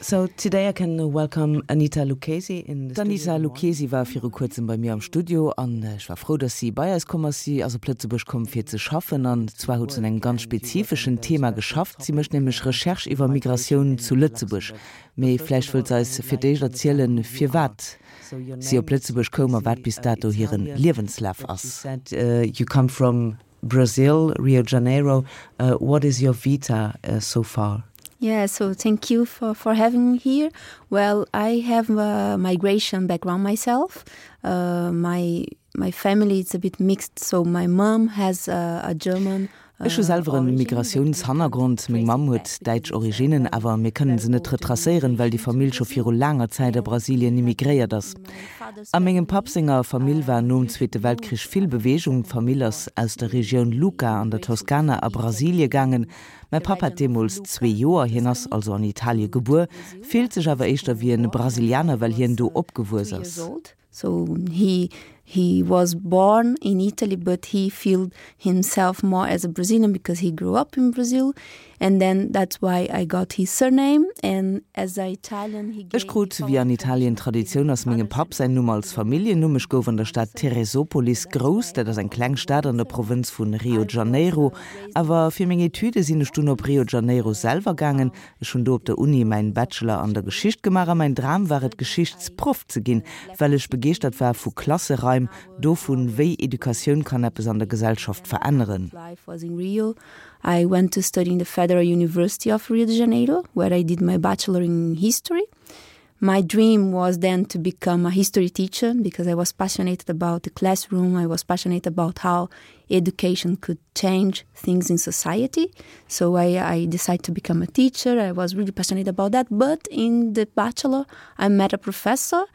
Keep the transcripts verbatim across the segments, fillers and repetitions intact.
So today I can welcome Anita Lucchesi in the D'Anita Lucchesi war viru kuerzem bei mir am Studio an ech war frou, dass si bei eis komm ass. Si ass op Lëtzebuerg komm fir ze schaffen an zwar huet se un engem ganz spezifeschen Thema geschafft. Si mécht nämlech Recherche iwwer Migratioun zu Lëtzebuerg. Mee vläicht wëllt se eis fir d'éischt erzielen, firwat si op Lëtzebuerg koum a wat bis dato hiren Liewenslaf ass. You come from Brazil, Rio Janeiro. Uh, what is your vita uh, so far? Yeah, so thank you for, for having me here. Well, I have a migration background myself. Uh, my my family is a bit mixed, so my mom has a, a German Ech hu selwer en Migratiounshannergrond. Meng Mamm huet däitsch Originnen, awer mir kënnen se net retracéieren, well déi Famill scho viru laanger Zäit a Brasilien immigréiert ass. A mengem Papp senger Famill war nom Zweete Weltkrich vill Beweegung. D'Famill ass aus der Regioun Lucca an der Toskana a Brasilie gaangen. Mäi Papp hat deemools zwee Joer, hien ass also an Italie gebuer, fillt sech awer éischter wéi e Brasilianer, well hien do opgewuess ass. So he he was born in Italy, but he felt himself more as a Brazilian because he grew up in Brazil. And then that's why I got his surname. And as a Italian, he Ech krut, wéi an Italien Traditioun ass, mengem Papp säin Numm als Familljennumm. Ech gouf an der Stad Teresópolis grouss, dat ass eng kleng Stad an der Provënz vu Rio de Janeiro. Awer fir meng Etüde sinn ech dunn op Rio de Janeiro selwer gaangen. Ech hunn do op der Uni mäin Bachelor an der Geschicht gemaach a mäin Dram war et, Geschichtsproff ze ginn, well ech begeeschtert war vu Klasseraim, dovun, wéi Educatioun kann eppes an der Gesellschaft veränneren. Life was in Rio. I went to study in the Federal University of Rio de Janeiro, where I did my bachelor in history. My dream was then to become a history teacher because I was passionate about the classroom. I was passionate about how education could change things in society. So I, I decided to become a teacher. I was really passionate about that. But in the bachelor, I met a professor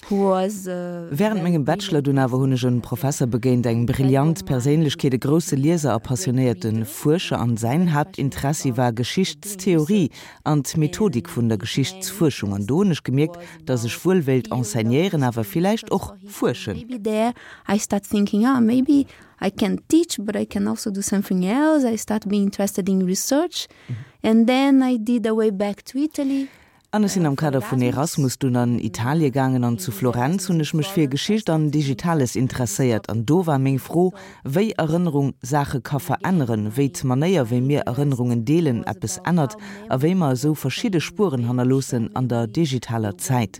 who was uh, Wärend mengem Bachelor dunn awer hunn ech en Professer begéint, eng brillant Perséinlechkeet, e grousse Lieser a passionéierte Fuerscher an säin Haaptinteressi war Geschichtstheorie an d'Methodik vun der Geschichtsfuerschung. An do hunn ech gemierkt, dass ech wuel wéilt enseignéieren, awer villäicht och fuerschen. Maybe there I start thinking, ah, maybe I can teach, but I can also do something else. I start being interested in research. And then I did a way back to Italy. An ech sinn am Kader vun Erasmus dunn an Italie gaangen an zu Florenz hunn ech mech fir Geschicht an Digitales interesséiert. An do war meng Fro, wéi Erënnerung Saache ka veränneren, wéi d'Manéier, wéi mir Erënnerungen deelen, eppes ännert a wéi mer esou verschidde Spueren hannerloossen an der digitaler Zäit.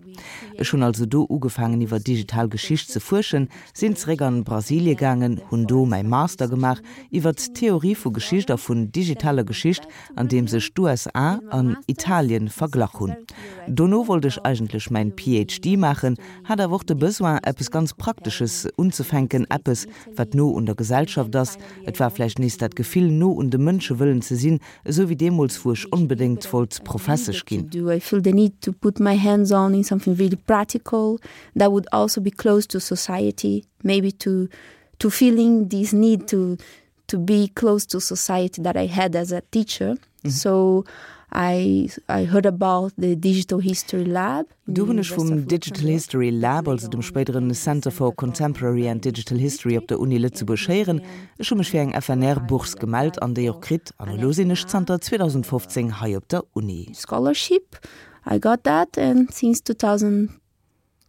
Ech hunn also do ugefaangen iwwer digital Geschicht ze fuerschen, sinn zeréck an Brasilie gaangen, hunn do mäi Master gemaach iwwer d'Theorie vu Geschicht a vun digitaler Geschicht, an deem sech d'USA an Italien verglach hunn. Dono wollt ech eigentlech mäin PhD maachen, hat awer och de Besoin, eppes ganz Praktesches unzefänken, eppes, wat no un der Gesellschaft ass. Et war vläicht nees dat Gefill, no un de Mënsche wëllen ze sinn, esou wéi deemools, wou ech onbedéngt wollt Professesch ginn. Do I feel the need to put my hands on in something really practical that would also be close to society, maybe to to feeling this need to to be close to society that I had as a teacher. Mm -hmm. So I I heard about the Digital History Lab. Do hunn ech vum Digital History Lab, also dem spéideren Center for Contemporary and Digital History op der Uni Lëtzebuerg héieren. Ech hu mech fir eng FNR-Bourse gemellt an déi och kritt an elo sinn ech zanter zweedausendfofzéng hei op der Uni. Scholarship. I got that and since two thousand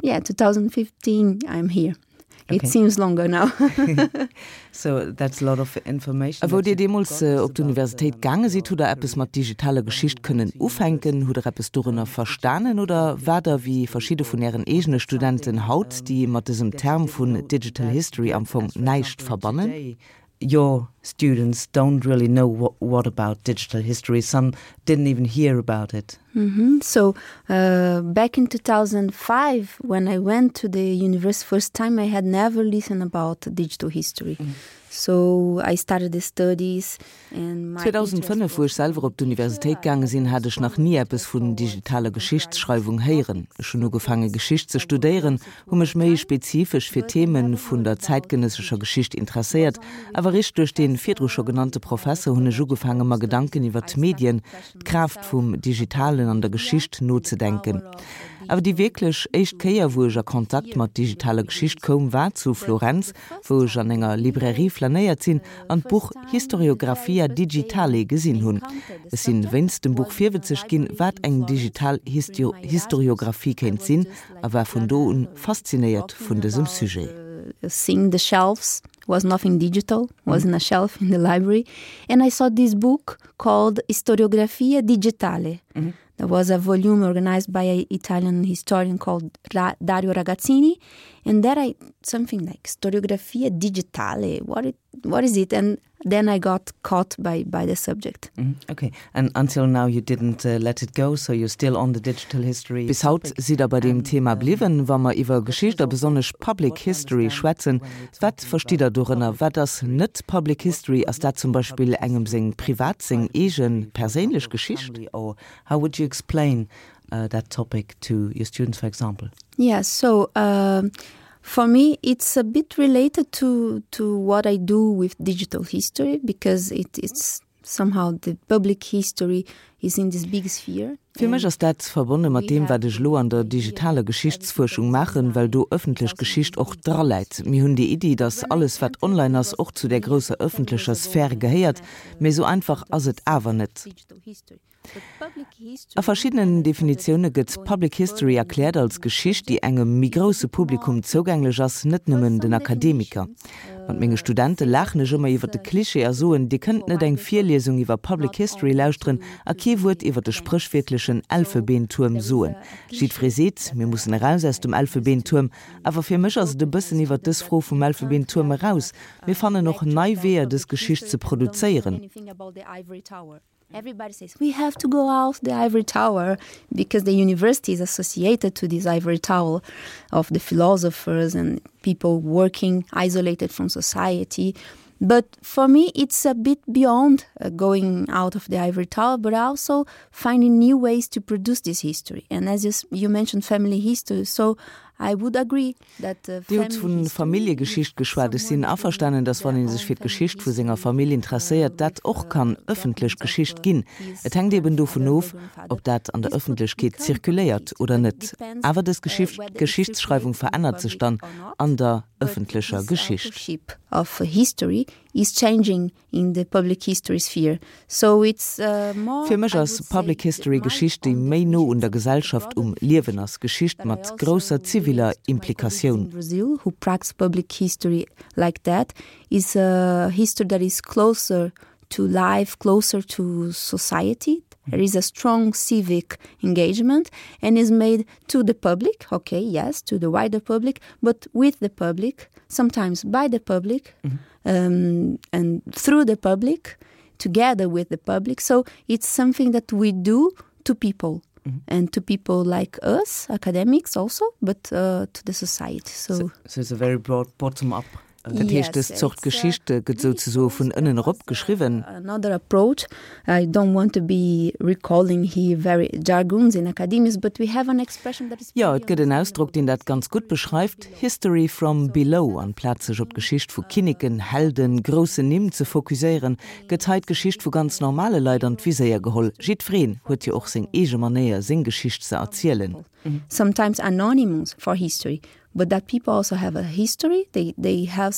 yeah, twenty fifteen I'm here. It okay. seems longer now. So that's a lot of information. A wou Dir deemools op d'Universitéit gaange sidd, hutt Der eppes mat digitaler Geschicht kënnen ufänken? Hutt Der eppes dorënner verstanen oder waart Der wéi verschidde vun Ären eegene Studenten haut, déi mat dësem Term vun Digital History am Fong näischt verbannen? Your students don't really know what, what about digital history. Some didn't even hear about it. Mm -hmm. So uh, back in two thousand five, when I went to the university first time, I had never listened about digital history. Mm. So I started the studies and my zweedausendfënnef, wou ech selwer op d'Universitéit gaange sinn, hat ech nach ni eppes vun digitaler Geschichtsschreiwung héieren. Ech hunn ugefaange Geschicht ze studéieren, hu mech méi spezifesch fir Themen vun der zäitgenëssescher Geschicht interesséiert, awer eréischt duerch dee virdru scho genannte Professer hunn ech ugefaange mer Gedanken iwwer d'Medien, d'Kraaft vum Digitalen an der Geschicht nozedenken. Awer déi wierklech éischt Kéier, wou ech a Kontakt mat digitaler Geschicht koum, war zu Florenz, wou ech an enger Librairie flanéiert sinn an d'Buch Historiografia digitale gesinn hunn. Ech sinn wéinst dem Buch virwëtzeg ginn, wat eng digital Historiographie kéint sinn, a war vun do un faszinéiert vun dësem Sujet. Seeing the shelves was nothing digital, was in a shelf in the library, and I saw this book called Historiografia digitale. Mm -hmm. There was a volume organized by an Italian historian called Ra Dario Ragazzini, and there I something like Historiografia digitale. What it, what is it? And then I got caught by by the subject. Mm -hmm. Okay, and until now you didn't uh, let it go, so you're still on the digital history. Bis haut sidd der bei deem Thema bliwwen. Wa mer iwwer Geschicht a besonnesch Public History schwätzen, wat verstitt der dorënner? Wat ass net Public History? Ass dat zum Beispill engem seng privat, seng eegen perséinlech Geschicht? Or how would you explain uh, that topic to your students, for example? Yeah, so uh, for me it's a bit related to to what I do with digital history because it, it's somehow the public history is in this big sphere. Fir mech ass dat verbonne mat deem, wat ech lo an der digitaler Geschichtsfuerschung maachen, well do ëffentlech Geschicht och draläit. Mir hunn déi Iddi, datt alles, wat online ass, och zu der grousser ëffentlecher Sphär gehéiert, mee sou einfach ass et awer net. A verschiddenen Definitioune gëtt Public History erkläert als Geschicht, déi engem méi grousse Publikum zougänglech ass, net nëmmen den Akademiker. Mat menge Studente laachen ech ëmmer iwwer de Klischee a soen, Dir kënnt net eng Virliesung iwwer Public History lauschteren a kee Wuert iwwer de spréchwiertlechen Elfebeentuerm soen. Jiddweree seet, mir mussen eraus aus dem Elfebeentuerm, awer fir mech ass et e bëssen iwwer dës Fro vum Elfebeentuerm eraus. Mir fannen och nei Weeër, dës Geschicht ze produzéieren. Everybody says we have to go out the ivory tower because the university is associated to this ivory tower of the philosophers and people working isolated from society. But for me, it's a bit beyond uh, going out of the ivory tower, but also finding new ways to produce this history. And as you, you mentioned family history, so I would agree that uh, Dir hutt vu Familljegeschicht geschwat. Ech sinn averstanen, datt wann ee sech fir d'Geschicht vu senger Famill interesséiert, dat och kann ëffentlech Geschicht ginn. Et hänkt eben dovun of, ob dat an der Ëffentlechkeet zirkuléiert oder net. Awer dës Geschicht, Geschichtsschreiwung verännert sech dann an der ëffentlecher Geschicht. Of history is changing in the public history sphere. So it's uh, more Fir mech ass Public History Geschicht, déi méi no un der Gesellschaft, um Liewen ass, Geschicht mat grousser ziviler Implikatioun. Brazil who practice public history like that is a history that is closer to life, closer to society. There is a strong civic engagement and is made to the public, okay, yes, to the wider public, but with the public, sometimes by the public, mm -hmm. um, and through the public, together with the public. So it's something that we do to people. Mm -hmm. And to people like us, academics also, but uh, to the society. So, so, so it's a very broad bottom-up Dat heescht, dës Zort Geschicht gëtt souzesoe vun ënnen erop geschriwwen. Another approach, I don't want to be recalling here very jargons in academias, but we have an expression that is. Jo, et gëtt en Ausdrock, deen dat ganz gutt beschreift, History from below. Amplaz sech op d'Geschicht vu Kinneken, Helden, groussen Nimm ze fokusséieren, gëtt hei d'Geschicht vu ganz normale Leit an d'Viséier geholl. Jiddwereen huet jo och seng eege Manéier, seng Geschicht ze erzielen. Sometimes anonymous for history, but that people also have a history they they have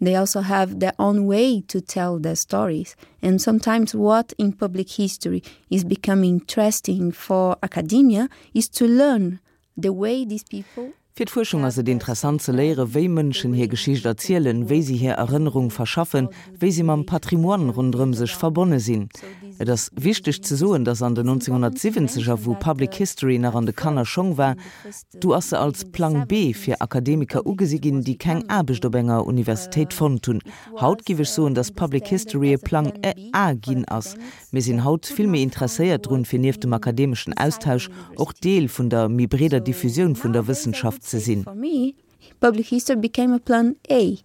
they also have their own way to tell their stories and sometimes what in public history is becoming interesting for academia is to learn the way these people Fir d'Fuerschung ass et interessant ze léieren, wéi Mënschen hir Geschicht erzielen, wéi si hir Erënnerung verschaffen, wéi si mam Patrimoine ronderëm sech verbonne sinn. Et ass wichteg ze soen, datt an den nonzénghonnertsiwwenzeger, wou Public History nach an de Kannerschong war, du ass se als Plang B fir Akademiker ugesi ginn, déi keng Aarbecht op enger Universitéit fonnt hunn. Haut giff ech soen, datt Public History e Plang A ginn ass. Mir sinn haut vill méi interesséiert drun, fir nieft dem akademeschen Austausch och Deel vun der méi breeder Diffusioun vun der Wëssenschaft ze sinn. For me, public history became a plan A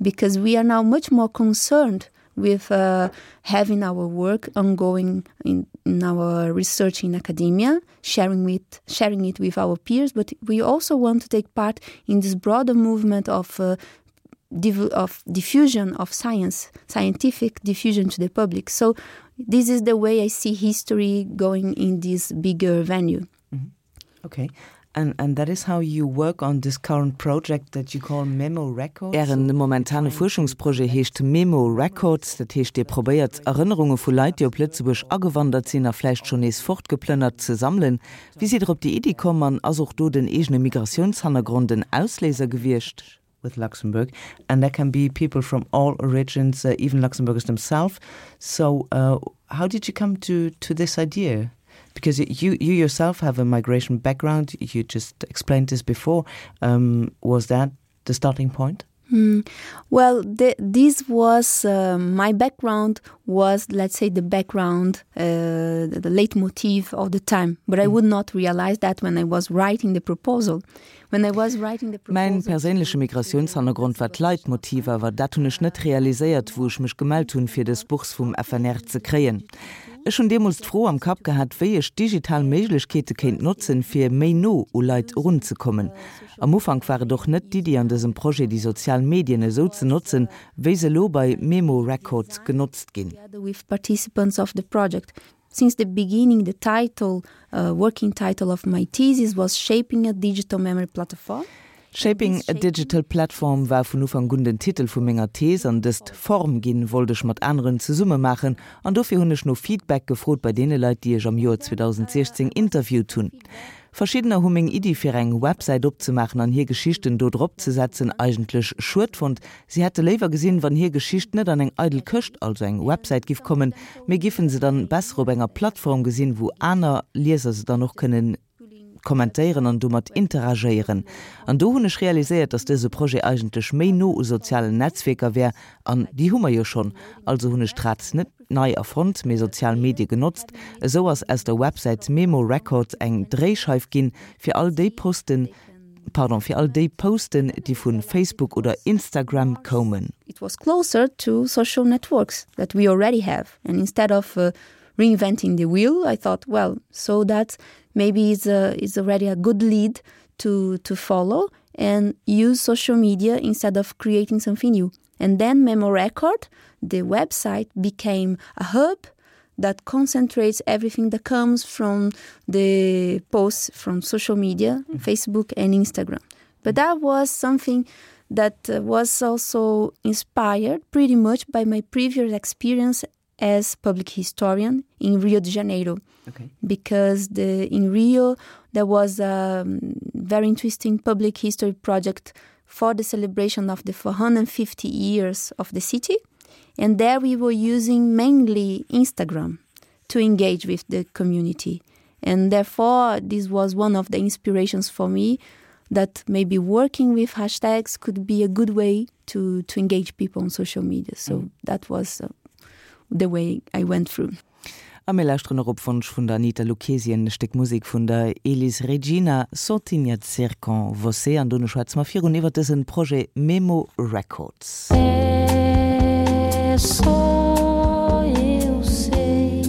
because we are now much more concerned with uh, having our work ongoing in, in our research in academia, sharing with sharing it with our peers, but we also want to take part in this broader movement of uh, of diffusion of science, scientific diffusion to the public. So this is the way I see history going in this bigger venue. Mm -hmm. Okay. And, and that is how you work on this current project that you call Memo Records. Ären momentane Fuerschungsprojet heescht Memo Records, dat heescht Dir probéiert Erënnerunge vu Leit, déi op Lëtzebuerg agewandert sinn a vläicht schonn nees fortgeplënnert, ze sammelen. Wéi sidd Der op déi Iddi komm an ass och do den eegene Migratiounshannergrond en Ausléiser gewiescht? With Luxembourg and there can be people from all origins, uh, even Luxembourgers themselves. So uh, how did you come to, to this idea? Because you, you yourself have a migration background, you just explained this before. Um, was that the starting point? Mm. Well, the, this was uh, my background was, let's say, the background, uh, the, the leitmotif of the time. But I mm. would not realize that when I was writing the proposal. When I was writing the Mäin perséinleche Migratiounshannergrond war d'Leitmotiv, awer dat hunn ech net realiséiert, wou ech mech gemellt hunn, fir dës Bourse vum F N R ze kréien. Ech hunn deemools d'Fro am Kapp gehat, wéi ech digital Méiglechkeete kéint notzen, fir méi no u Leit erunzekommen. Am Ufank war et och net d'Iddi an dësem Projet déi sozial Medien esou ze notzen, wéi se elo bei Memo Records genotzt ginn. With participants of the project. Since the beginning, the title, uh, working title of my thesis was Shaping a Digital Memory Platform. Shaping a Digital Platform war vun Ufank un den Titel vu menger Thees an dëst Form ginn wollt ech mat aneren zesumme maachen an dofir hunn ech no Feedback gefrot bei deene Leit, déi ech am Joer zweedausendsiechzéng interviewt hunn. Verschiddener hu meng Iddi fir eng Websäit opzemaachen an hir Geschichten do drop ze setzen eigentlech schued fonnt. Si hätte léiwer gesinn, wann hir Geschicht net an eng eidel Këscht, also eng Websäit giff kommen, mee giffen se dann besser op enger Plattform gesinn, wou aner Lieser se dann och kënnen kommentéieren an domat interagéieren. An do hunn ech realiséiert, dass dëse Projet eigentlech méi no u sozialen Netzwierker wär, an déi hu mer jo schonn. Also hunn ech d'Rad net nei erfonnt, mee sozial Medie genotzt. Esou ass aus der Websäit Memo Records eng Dréischeif ginn, fir all déi Posten, pardon, fir all déi Posten, déi vu Facebook oder Instagram koumen. It was closer to social networks that we already have. And instead of uh, reinventing the wheel, I thought, well, so that maybe is, a, is already a good lead to, to follow and use social media instead of creating something new. And then Memo Record, the website, became a hub that concentrates everything that comes from the posts from social media, mm -hmm. Facebook and Instagram. But that was something that uh, was also inspired pretty much by my previous experience as public historian in Rio de Janeiro. Okay. Because the, in Rio there was a um, very interesting public history project for the celebration of the four hundred fifty years of the city. And there we were using mainly Instagram to engage with the community. And therefore, this was one of the inspirations for me that maybe working with hashtags could be a good way to, to engage people on social media. So mm. that was uh, the way I went through. A mir lauschteren och op Wonsch vun der Anita Luchesi e Stéck Musek vun der Elis Regina, Só Tinha de Ser com Você an dono schwätze mer virun iwwer dëse Projet Memo Records. É só eu sei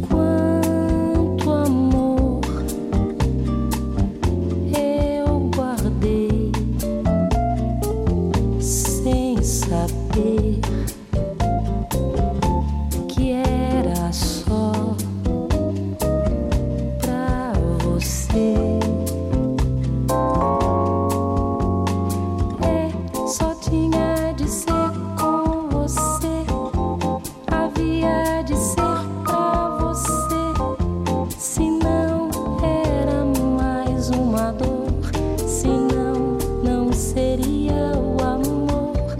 quanto amor eu guardei sem saber que era só pra você. É, só tinha de ser com você, havia de ser pra você. Se não era mais uma dor, se não, não seria o amor,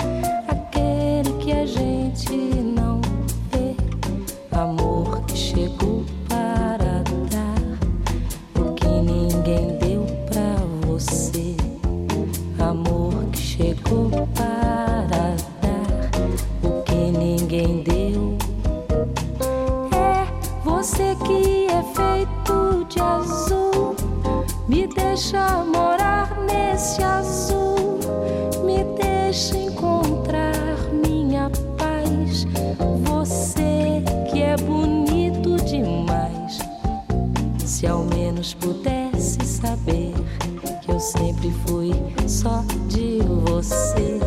aquele que a gente não vê, amor que chegou para dar o que ninguém deu pra você, amor que chegou para dar o que ninguém deu. É você que é feito de azul, me deixa morar nesse azul, me deixa encontrar minha paz. Você que é bonito demais, se ao menos pudesse saber que eu sempre fui só de você,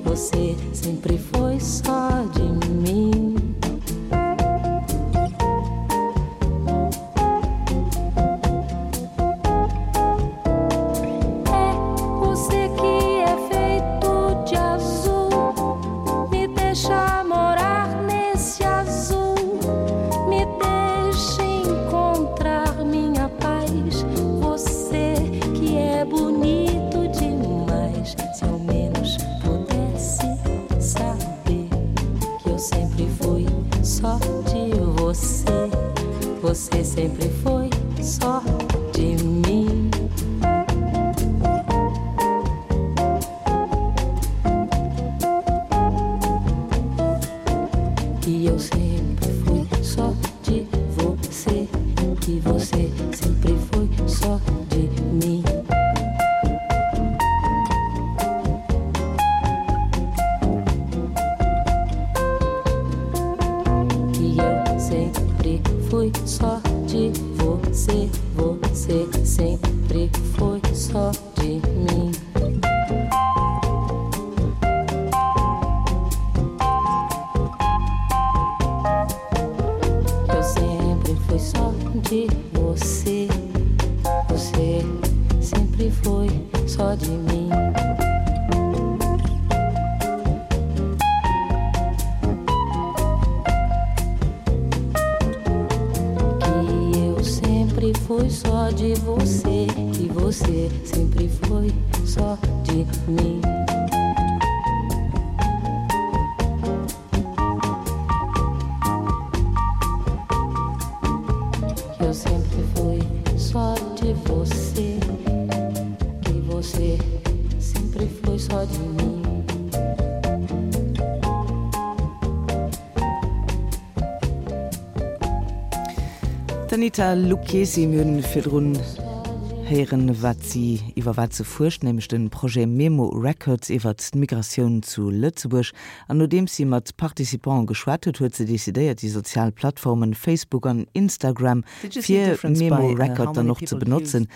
você sempre foi só de mim. você sempre foi só de mim. Que eu sempre fui só de você, que você sempre foi só de mim. Que eu sempre fui só de você, você sempre foi só de mim. Eu sempre fui só de você, você sempre foi só de mim. Que eu sempre fui só de você, que você sempre foi só de mim. Que eu sempre fui só de você, que você sempre foi só de mim. D'Anita Lucchesi, mir hunn virdrun héieren, wat si, iwwer wat se fuerscht, nämlech de Projet Memo Records iwwert d'Migratioun zu Lëtzebuerg. An nodeems si mat Participante geschwat huet, huet se decidéiert, déi sozial Plattformen Facebook an Instagram fir Memo Record dann och ze benotzen.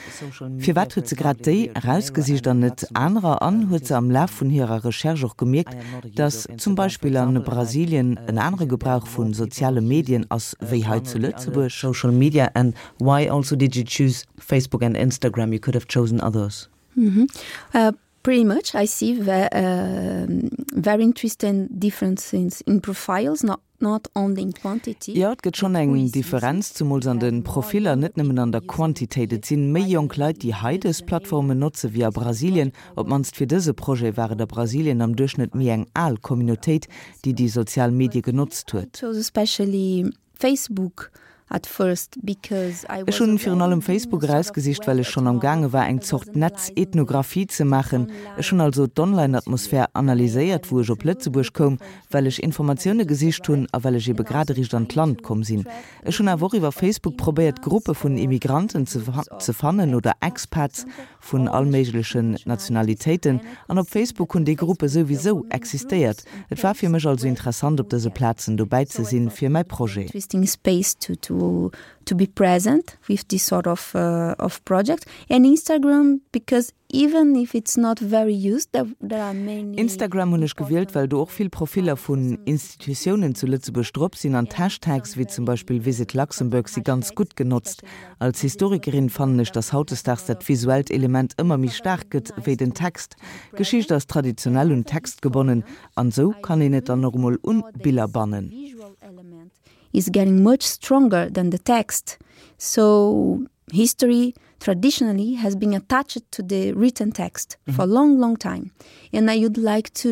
Firwat huet se grad déi erausgesicht an net anerer? An huet se am Laf vun hirer Recherche och gemierkt, dass zum Beispill a Brasilien en anere Gebrauch vu soziale Medien ass wéi hei zu Lëtzebuerg? Social media and why also did you choose Facebook and Instagram? You could have chosen others. Mm -hmm. uh, pretty much I see ve uh, very interesting differences in profiles, not not only in quantity. Jo, et gëtt schonn eng Differenz, zumools an de Profiller, net nëmmen an der Quantitéit. Et sinn méi jonk Leit, déi hei dës Plattformen notze wéi a Brasilien. Op d'mannst fir dëse Projet war et a Brasilien am Duerchschnëtt méi eng al Communautéit, déi déi sozial Medie genotzt huet. Especially Facebook at first because I Ech hunn virun allem Facebook erausgesicht, well ech schonn am gaange war, eng Zort Netz-Ethnographie ze maachen. Ech hunn also d'Online-Atmosphär analyséiert, wou ech op Lëtzebuerg koum, well ech Informatioune gesicht hunn a well ech ebe grad eréischt an d'Land komm sinn. Ech hunn awer och iwwer Facebook probéiert, Gruppe vun Immigranten ze ze fannen oder Expats vun all méiglechen Nationalitéiten. An op Facebook hunn déi Gruppe souwisou existéiert. Et war fir mech also interessant, op dëse Plazen dobäi ze sinn fir mäi Projet. Interesting space to to to be present with this sort of uh, of project and Instagram because even if it's not very used there, there are many Instagram hunn ech gewielt, well do och vill Profiller vun Institutiounen zu Lëtzebuerg drop sinn an d'Hashtags wéi zum Beispill Visit Luxembourg si ganz gutt genotzt. Als Historikerin fannen ech, dass hautdesdaags dat visuellt Element ëmmer méi staark gëtt wéi den Text. Geschicht ass traditionell un Text gebonnen an sou kann een et dann och emol un Biller bannen. Is getting much stronger than the text. So history traditionally has been attached to the written text mm -hmm. for a long, long time. And I would like to,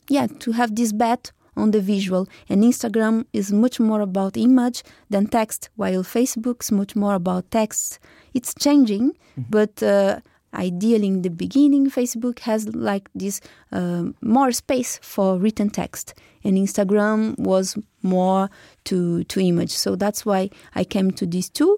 yeah, to have this bet on the visual. And Instagram is much more about image than text, while Facebook's much more about text. It's changing, mm -hmm. but uh, ideally in the beginning, Facebook has like this uh, more space for written text. And Instagram was more to, to image. So that's why I came to these two.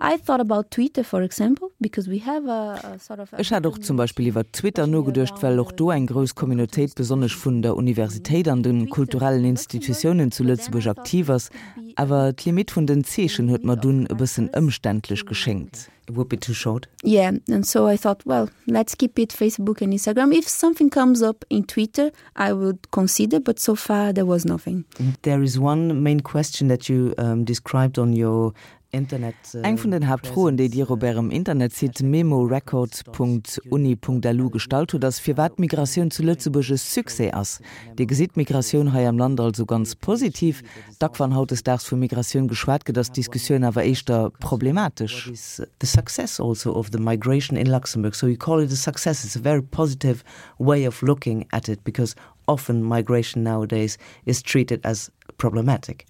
I thought about Twitter, for example, because we have a, a sort of Ech hat och zum Beispill iwwer Twitter nogeduecht, well och do eng grouss Communautéit, besonnesch vun der Universitéit an de kulturellen Institutiounen zu Lëtzebuerg aktiv ass, awer d'Limit vun den Zeechen huet mer dunn e bëssen ëmständlech geschéngt. It would be too short. Yeah, and so I thought, well, let's keep it Facebook and Instagram. If something comes up in Twitter, I would consider, but so far there was nothing. There is one main question that you um, described on your Internet. Eng vun den Haaptfroen, déi Dir op Ärem Internetsite memorecords.uni.lu gestallt hutt, ass, firwat d'Migratioun zu Lëtzebuerg e Succès ass. Dir gesitt d'Migratioun hei am Land also ganz positiv. Dack wann hautdesdaags vu Migratioun geschwat gëtt, ass d'Diskussioun awer éischter problematesch. What is the success also of the migration in Luxembourg? So you call it a success. It's a very positive way of looking at it because often migration nowadays is treated as problematic.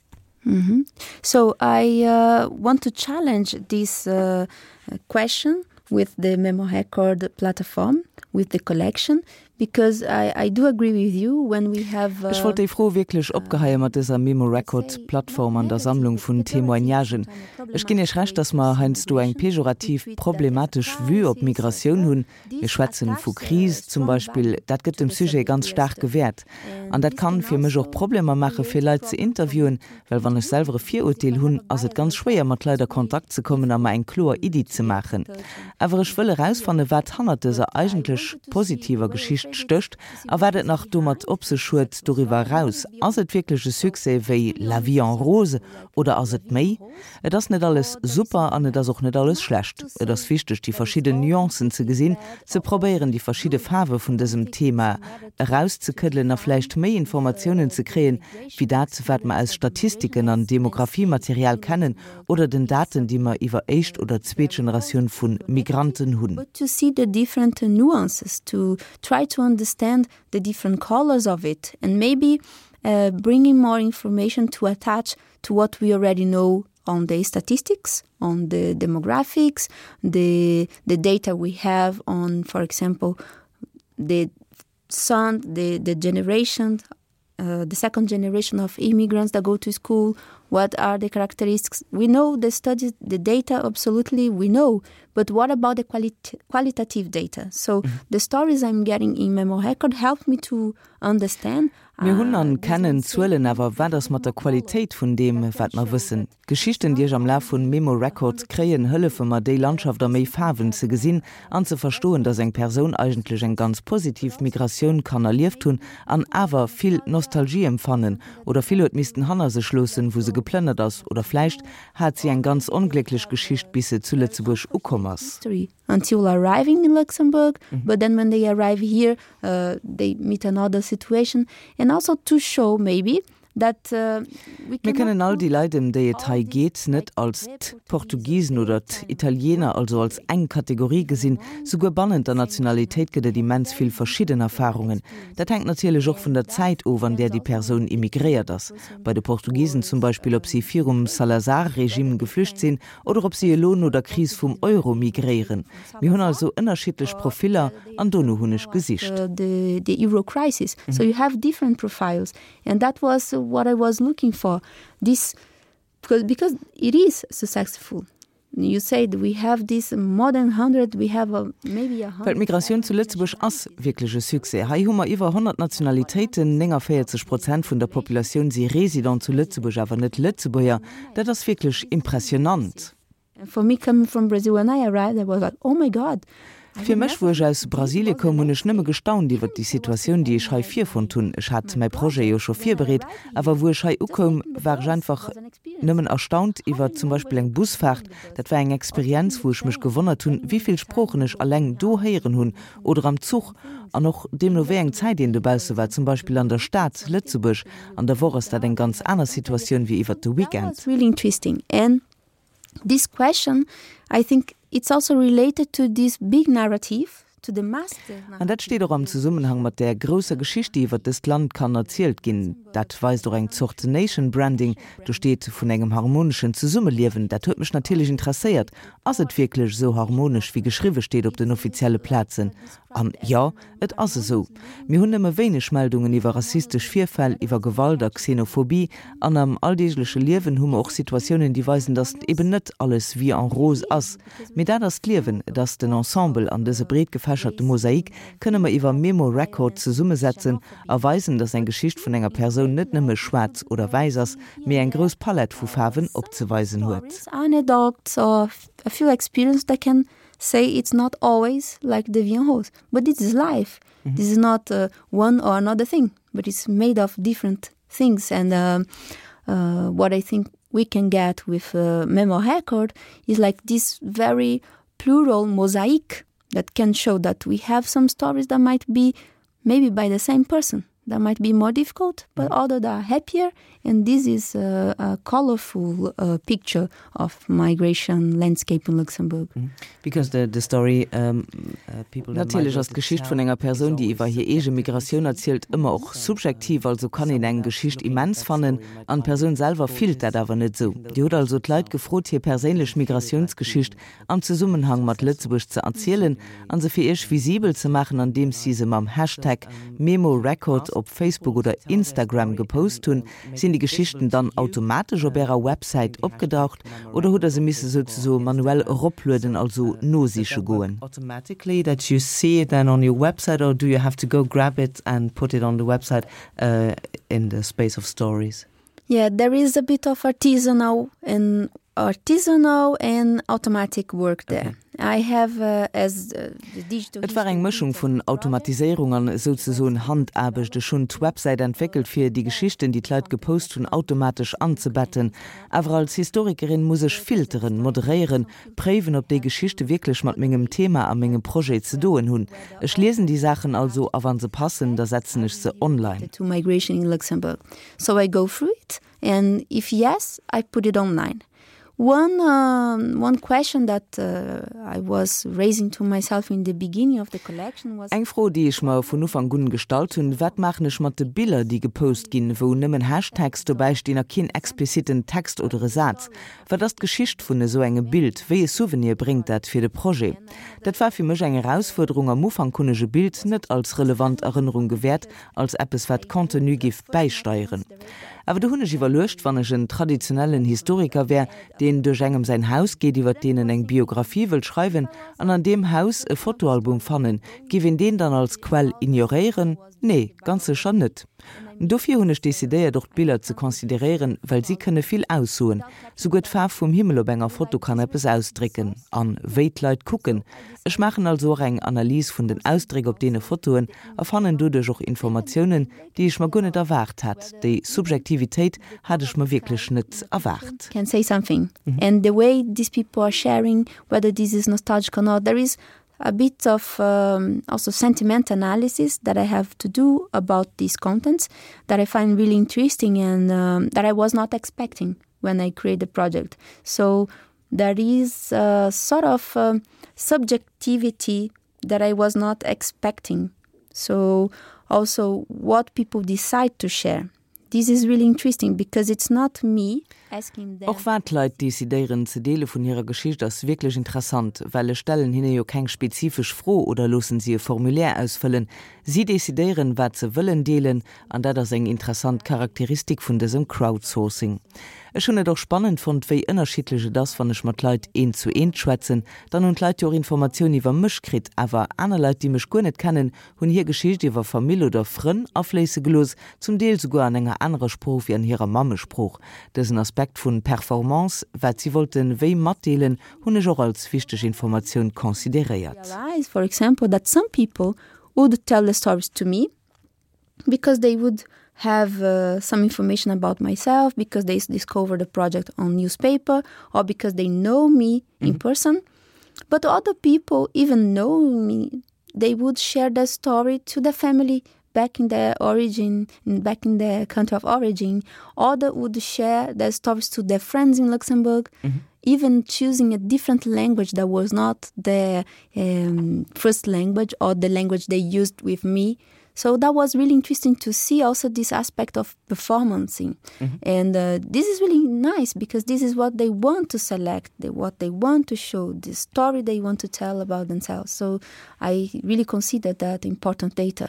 Mm -hmm. So I uh, want to challenge this uh, question with the Memo Record platform, with the collection, because I, I do agree with you when we have Ech wollt déi Fro wierklech opgeheie mat dëser Memo Record Plattform an der Sammlung vun Témoignagen. Ech ginn Iech Recht, dass mer heiansdo eng pejorativ, problematesch Vue op Migratioun hunn. Mir schwätzen vu Kris zum Beispill, dat gëtt dem Sujet ganz staarke Wäert. An dat kann fir mech och Problemer maache fir Leit ze interviewen, well wann ech selwer e Virurteel hunn, ass et ganz schwéier mat Leit a Kontakt ze kommen a mer eng kloer Iddi ze maachen. Awer ech wëll erausfanne wat hannert dëser eigentlech positiver Geschicht stécht a wat et nach domat op sech huet doriwwer eraus. Ass et wierklech e Succès wéi La vie en rose oder ass et méi? Et ass net alles super an et ass och net alles schlecht. Et ass wichteg, déi verschidden Nuancen ze gesinn, ze probéieren, déi verschidde Faarwe vun dësem Thema erauszekëddelen a vläicht méi Informatiounen ze kréien, wéi dat, wat mer aus Statistiken an Demografiematerial kennen oder den Daten, déi mer iwwer éischt oder zweet Generatioun vu Migranten hunn. But to see the different nuances, to try to understand the different colors of it and maybe uh, bringing more information to attach to what we already know on the statistics, on the demographics, the the data we have on, for example, the son, the, the generation, uh, the second generation of immigrants that go to school, what are the characteristics? We know the studies, the data, absolutely, we know. But what about the quali qualitative data? So mm -hmm. the stories I'm getting in Memo Record help me to understand. Mir hunn an kennen Zuelen, awer wat ass mat der Qualitéit vun deem, wat mer wëssen. Geschichten, déi ech am Laf vun Memo Record kréien, hëllefe mer déi Landschaft a méi Faarwen ze gesinn an ze verstoen, dass eng Persoun eigentlech eng ganz positiv Migratioun kann erlieft hunn an awer vill Nostalgie empfannen oder vill huet missten hanner sech loossen, wou se geplënnert ass oder vläicht hat si eng ganz onglécklech Geschicht bis se zu Lëtzebuerg ukomm ass. Until arriving in Luxembourg, mm -hmm. but then when they arrive here, uh, they meet another situation and also to show maybe that uh, Mir kënnen all déi Leit, ëm déi et hei geet, net als d'Portugisen oder d'Italiener, also als eng Kategorie gesinn. Souguer bannent der Nationalitéit gëtt et immens vill verschidden Erfarungen. Dat hänkt natierlech och vun der Zäit of, an där déi Persoun immigréiert ass. Bei de Portugisen zum Beispill, ob si virum Salazar-Regime geflücht sinn oder ob si elo no der Kris vum Euro migréieren. Mir hunn also ënnerschiddlech Profiller an dono hunn ech gesicht. The, the Euro crisis. Mm -hmm. So you have different profiles and that was what I was looking for. This because, because it is successful. You said we have this more than hundred, we have a, maybe a Well d'Migratioun zu Lëtzebuerg ass wierklech e Succès. Hei hu mer iwwer honnert Nationalitéiten, nénganvéierzeg Prozent vun der Populatioun si Resident zu Lëtzebuerg, awer net Lëtzebuerger. Dat ass wierklech impressionant. And for me coming from Brazil when I arrived, I was like, oh my God. Fir mech, wou ech aus Brasilie koum, hunn ech nëmme gestaunt iwwer déi Situatioun, déi ech hei virfonnt hunn. Ech hat mäi Projet jo scho virbereet, awer wou ech hei ukoum, war ech einfach nëmmen erstaunt iwwer zum Beispill eng Busfaart. Dat war eng Experienz, wou ech mech gewonnert hunn, wéi vill Sproochen ech alleng do héieren hunn oder am Zuch an och deemno wéi eng Zäit een dobausse war, zum Beispill an der Stad Lëtzebuerg. An der Woch ass dat eng ganz aner Situatioun wéi iwwer de Weekend. That was really interesting. And this question, I think it's also related to this big narrative, to the master An dat steet och am Zesummenhang mat där grousser Geschicht, déi iwwer dëst Land kann erzielt ginn. Dat weist och eng Zort Nation Branding. Do steet vun engem harmoneschen Zesummeliewen. Dat huet mech natierlech interesséiert. Ass et wierklech esou harmonesch, wéi geschriwwe steet op den offizielle Plazen? An jo, et ass esou. Mir hunn nëmme wéineg Meldungen iwwer rassistesch Virfäll, iwwer Gewalt a Xenophobie. An am alldeegleche Liewen hu mer och Situatiounen, déi weisen, datt eben net alles vie en rose ass. Mee dat ass d'Liewen, et ass den Ensemble an dëse breet gefächerte Mosaik kënne mer iwwer Memo Record zesummesetzen a weisen, datt eng Geschicht vun enger Persoun net nëmme schwaarz oder wäiss ass, mee eng grouss Palett vu Faarwen opzeweisen huet. Anecdotes of a few experiences that can say it's not always like the vie en rose, but this is life. Mm -hmm. This is not uh, one or another thing, but it's made of different things. And uh, uh, what I think we can get with uh, Memo Record is like this very plural mosaic that can show that we have some stories that might be maybe by the same person. that might be more difficult, but mm. other that are happier. And this is a, a colorful uh, picture of migration landscape in Luxembourg. Mm. Because the, the story um, uh, people Natierlech ass d'Geschicht vun enger Persoun, déi iwwer hir eege Migratioun erzielt, ëmmer och subjektiv, also kann een eng Geschicht immens fannen an d'Persoun selwer fillt dat awer net esou. Dir hutt also d'Leit gefrot, hir perséinlech Migratiounsgeschicht am Zesummenhang mat Lëtzebuerg ze erzielen an se fir iech visibel ze maachen, andeems si se mam Hashtag MemoRekord op Facebook oder Instagram gepost hunn. Sinn déi Geschichten dann automatesch op ärer Websäit opgedaucht oder hutt der se misse souzesoe manuell eroplueden, also nosiche goen? Automatically that you see it then on your website or do you have to go grab it and put it on the website uh, in the space of stories? Yeah, there is a bit of artisanal and artisanal and automatic work there. Okay. I have uh, as uh, the digital Et war eng Mëschung vun Automatiséierung an souzesoen Handaarbecht. Ech hunn d'Websäit entwéckelt fir déi Geschichten, déi d'Leit gepost hunn, automatesch anzebetten. Awer als Historikerin muss ech filteren, moderéieren, préiwen, ob déi Geschichte wierklech mat mengem Thema a mengem Projet ze doen hunn. Ech liesen déi Saachen also a wann se passen, da setzen ech se online. To migration in Luxembourg. So I go through it and if yes, I put it online. One, um, one question that uh, I was raising to myself in the beginning of the collection was Eng Fro, déi ech mer vun Ufank un gestallt hunn, Wat maachen ech mat de Biller, déi gepost ginn, wou nëmmen Hashtags dobäi stinn a keen expliziten Text oder e Saz? Wat ass d'Geschicht vun esou engem Bild? Wéi e Souvenir bréngt dat fir de Projet? Dat war fir mech eng Erausfuerderung. Am Ufank hunn ech e Bild net als relevant Erënnerung gewäert, als eppes wat Contenu giff bäisteieren. Awer du hunn ech iwwerluecht, wann ech en traditionellen Historiker wär, deen duerch engem säin Haus geet, iwwer deen en eng Biographie wëllt schreiwen, an an deem Haus e Fotoalbum fannen, giff een deen dann als Quell ignoréieren? Nee, ganz sécher net. Dofir hunn ech decidéiert, och d'Biller ze consideréieren, well si kënne vill aussoen. Souguer d'Faarf vum Himmel op enger Foto kann eppes ausdrécken. An wéi d'Leit kucken. Ech maachen also och eng Analys vun den Ausdréck op deene Fotoen a fannen doduerch och Informatiounen, déi ech mer guer net erwaart hat. Déi Subjektivitéit hat ech mer wierklech net erwaart. Can say something. And the way these people are sharing, whether this is nostalgic or not, there is a bit of um, also sentiment analysis that I have to do about these contents that I find really interesting and um, that I was not expecting when I create the project. So there is a sort of um, subjectivity that I was not expecting. So also what people decide to share. This is really interesting because it's not me asking them. Och wat d'Leit decidéieren ze deele vun hirer Geschicht ass wierklech interessant, well ech stellen hinne jo keng spezifesch Fro oder loossen si e Formulaire ausfëllen. Si decidéieren, wat se wëllen deelen, an dat ass eng interessant Charakteristik vun dësem Crowdsourcing. Ech hunn et och spannend fonnt, wéi ënnerschiddlech et ass, wann ech mat Leit eent zu eent schwätzen, dann hunn d'Leit jo och Informatioun iwwer mech kritt, awer aner Leit, déi mech guer net kennen, hunn hir Geschicht iwwer Famill oder Frënn afléisse gelooss, zum Deel souguer an enger anerer Sprooch wéi an hirer Mammesprooch. Dësen Aspekt vun Performance, wat si wollten wéi matdeelen, hunn ech och als wichteg Informatioun consideréiert. Realize, for example, that some people would tell the stories to me because they would have uh, some information about myself, because they discovered the project on newspaper or because they know me mm. in person. But other people, even knowing me, they would share their story to the family back in their origin, back in their country of origin. Other would share their stories to their friends in Luxembourg, mm -hmm. even choosing a different language that was not their um, first language or the language they used with me. So that was really interesting to see also this aspect of performancing. Mm -hmm. And uh, this is really nice because this is what they want to select, the, what they want to show, the story they want to tell about themselves. So I really consider that important data.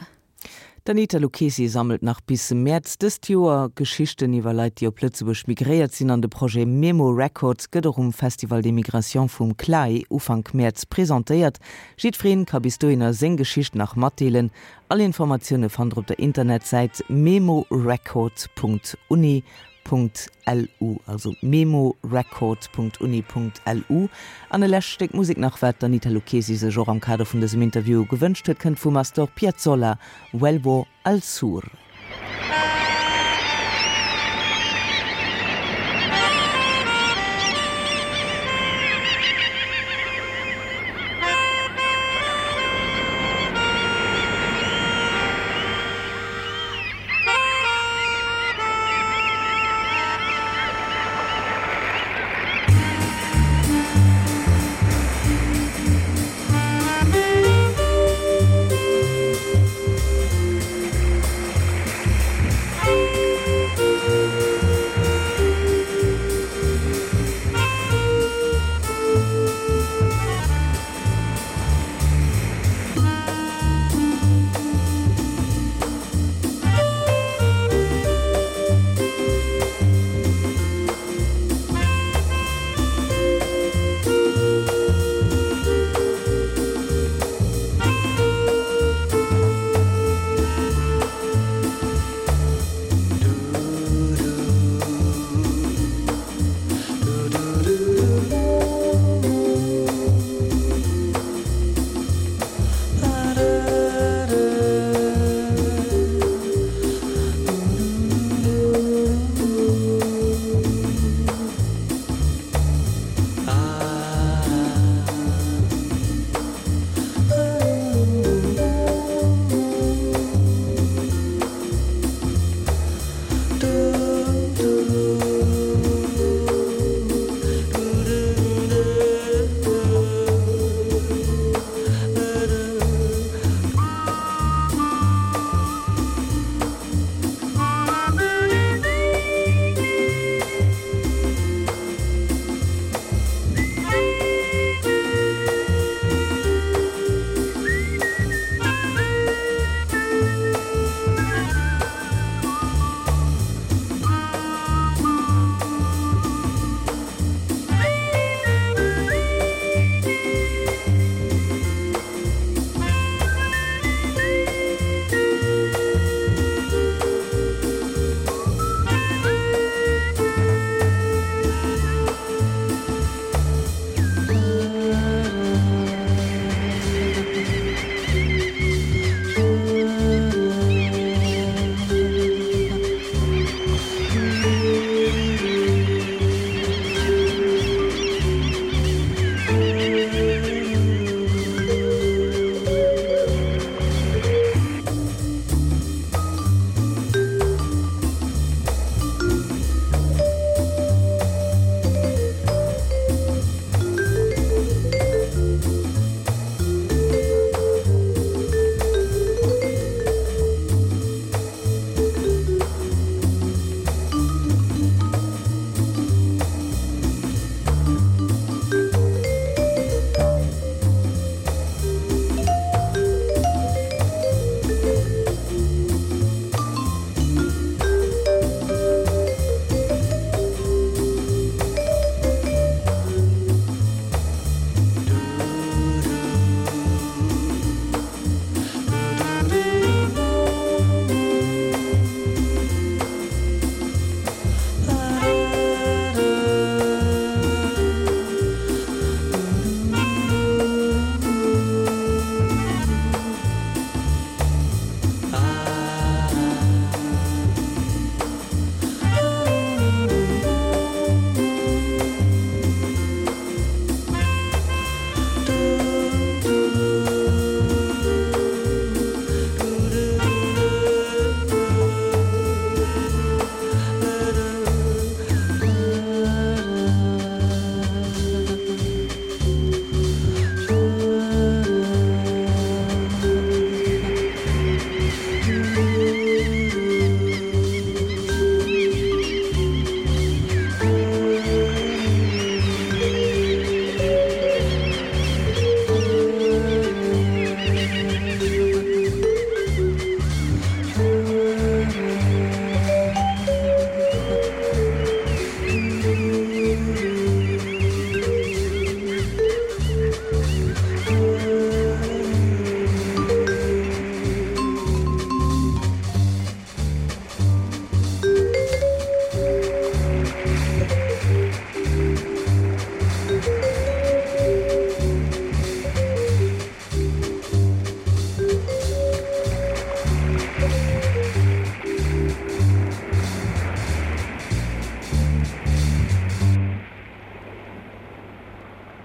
D'Anita Lucchesi sammelt nach bis Mäerz dëst Joer Geschichten iwwer Leit, déi op Lëtzebuerg migréiert sinn an de Projet Memo Records gëtt och um Festival des Migrations vum CLAE Ufank Mäerz presentéiert. Jiddweree ka bis dohinner seng Geschicht nach matdeelen. All Informatioune fannt der op der Internetsäit memorecord Punkt uni Punkt lu, also memorecord Punkt uni Punkt lu. An e lescht Stéck Musek nach, wat d'Anita Lucchesi sech och am Kader vun dësem Interview gewënscht huet, kënnt vum Astor Piazzolla, Vuelvo al Sur.